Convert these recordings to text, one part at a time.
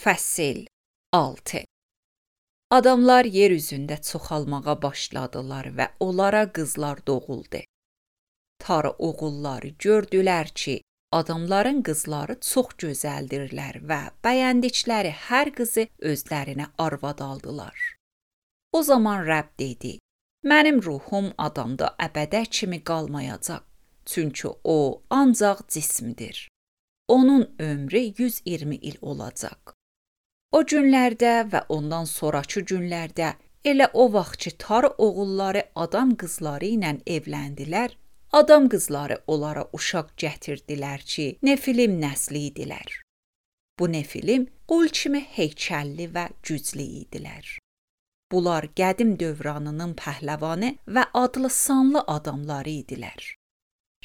Fəsil 6. Adamlar yer üzündə çoxalmağa başladılar və onlara qızlar doğuldu. Tarı oğulları gördülər ki, adamların qızları çox gözəldirlər və bəyəndikləri hər qızı özlərinə arvad aldılar. O zaman Rəbb dedi, mənim ruhum adamda əbədə kimi qalmayacaq, çünki o ancaq cismdir. Onun ömrü 120 il olacaq. O günlərdə və ondan sonrakı günlərdə elə o vaxt ki, Tarı oğulları adam qızları ilə evləndilər, adam qızları onlara uşaq gətirdilər ki, Nefilim nəsli idilər. Bu Nefilim qul kimi heykəlli və güclü idilər. Bunlar qədim dövranının pəhləvanı və adlı sanlı adamları idilər.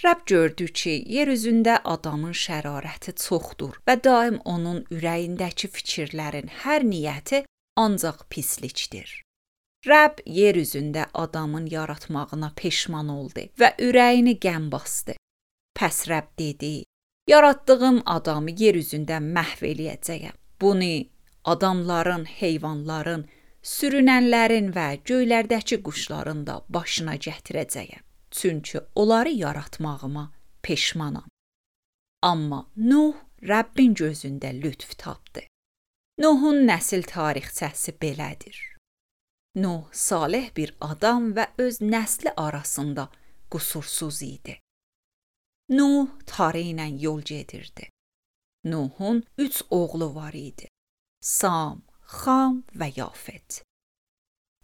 Rəbb gördü ki, yer üzündə adamın şərarəti çoxdur və daim onun ürəyindəki fikirlərin hər niyyəti ancaq pislikdir. Rəbb yer üzündə adamın yaratmağına peşman oldu və ürəyini qəm basdı. Pəs Rəbb dedi, yaratdığım adamı yer üzündə məhv eləyəcəyəm. Bunu adamların, heyvanların, sürünənlərin və göylərdəki quşların da başına gətirəcəyəm. Çünki onları yaratmağıma peşmanam. Amma Nuh Rəbbin gözündə lütf tapdı. Nuhun nəsil tarixçəsi belədir. Nuh salih bir adam və öz nəsli arasında qüsursuz idi. Nuh Tarı ilə yol gedirdi. Nuhun 3 oğlu var idi. Sam, Xam və Yafet.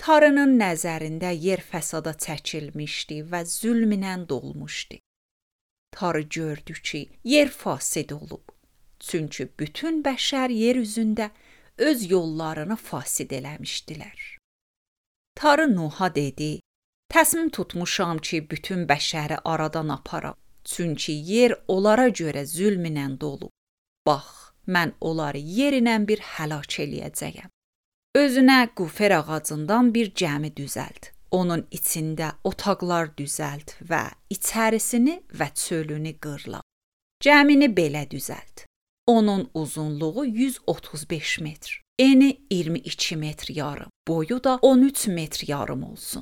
Tarının nəzərində yer fəsada çəkilmişdi və zülm ilə dolmuşdu. Tarı gördü ki, yer fasid olub. Çünki bütün bəşər yer üzündə öz yollarını fasid eləmişdilər. Tarı Nuha dedi, təsmin tutmuşam ki, bütün bəşəri aradan aparam. Çünki yer onlara görə zülm ilə dolub. Bax, mən onları yerinə bir həlak eləyəcəyəm. Özünə qufer ağacından bir gəmi düzəlt. Onun içində otaqlar düzəlt və içərisini və çölünü qırla. Gəmini belə düzəlt. Onun uzunluğu 135 metr, eni 22 metr yarım, boyu da 13 metr yarım olsun.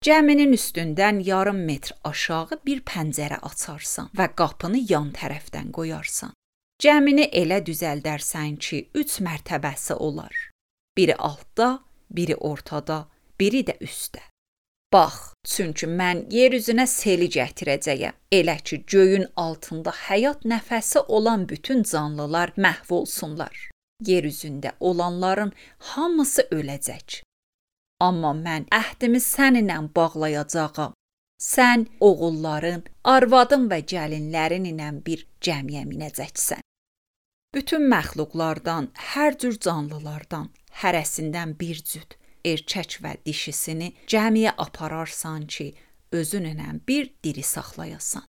Gəminin üstündən yarım metr aşağı bir pəncərə açarsan və qapını yan tərəfdən qoyarsan. Gəmini elə düzəldərsən ki, 3 mərtəbəsi olar. Biri altda, biri ortada, biri də üstdə. Bax, çünki mən yer üzünə seli gətirəcəyəm. Elə ki, göyün altında həyat nəfəsi olan bütün canlılar məhv olsunlar. Yer üzündə olanların hamısı öləcək. Amma mən əhdimi səninlə bağlayacağam. Sən oğulların, arvadın və gəlinlərin ilə bir gəmiyə minəcəksən. Bütün məxluqlardan, hər cür canlılardan, hərəsindən bir cüt, erkək və dişisini gəmiyə apararsan ki, özünlə bir diri saxlayasan.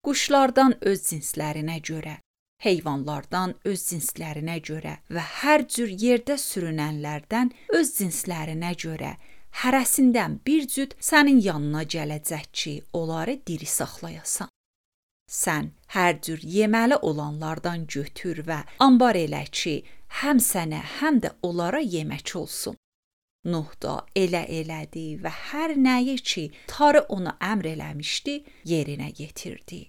Quşlardan öz cinslərinə görə, heyvanlardan öz cinslərinə görə və hər cür yerdə sürünənlərdən öz cinslərinə görə, hərəsindən bir cüt sənin yanına gələcək ki, onları diri saxlayasan. Sən hər cür yeməli olanlardan götür və ambar elə ki, həm sənə, həm də onlara yemək olsun. Nuh da elə elədi və hər nəyi ki, Tarı ona əmr eləmişdi, yerinə yetirdi.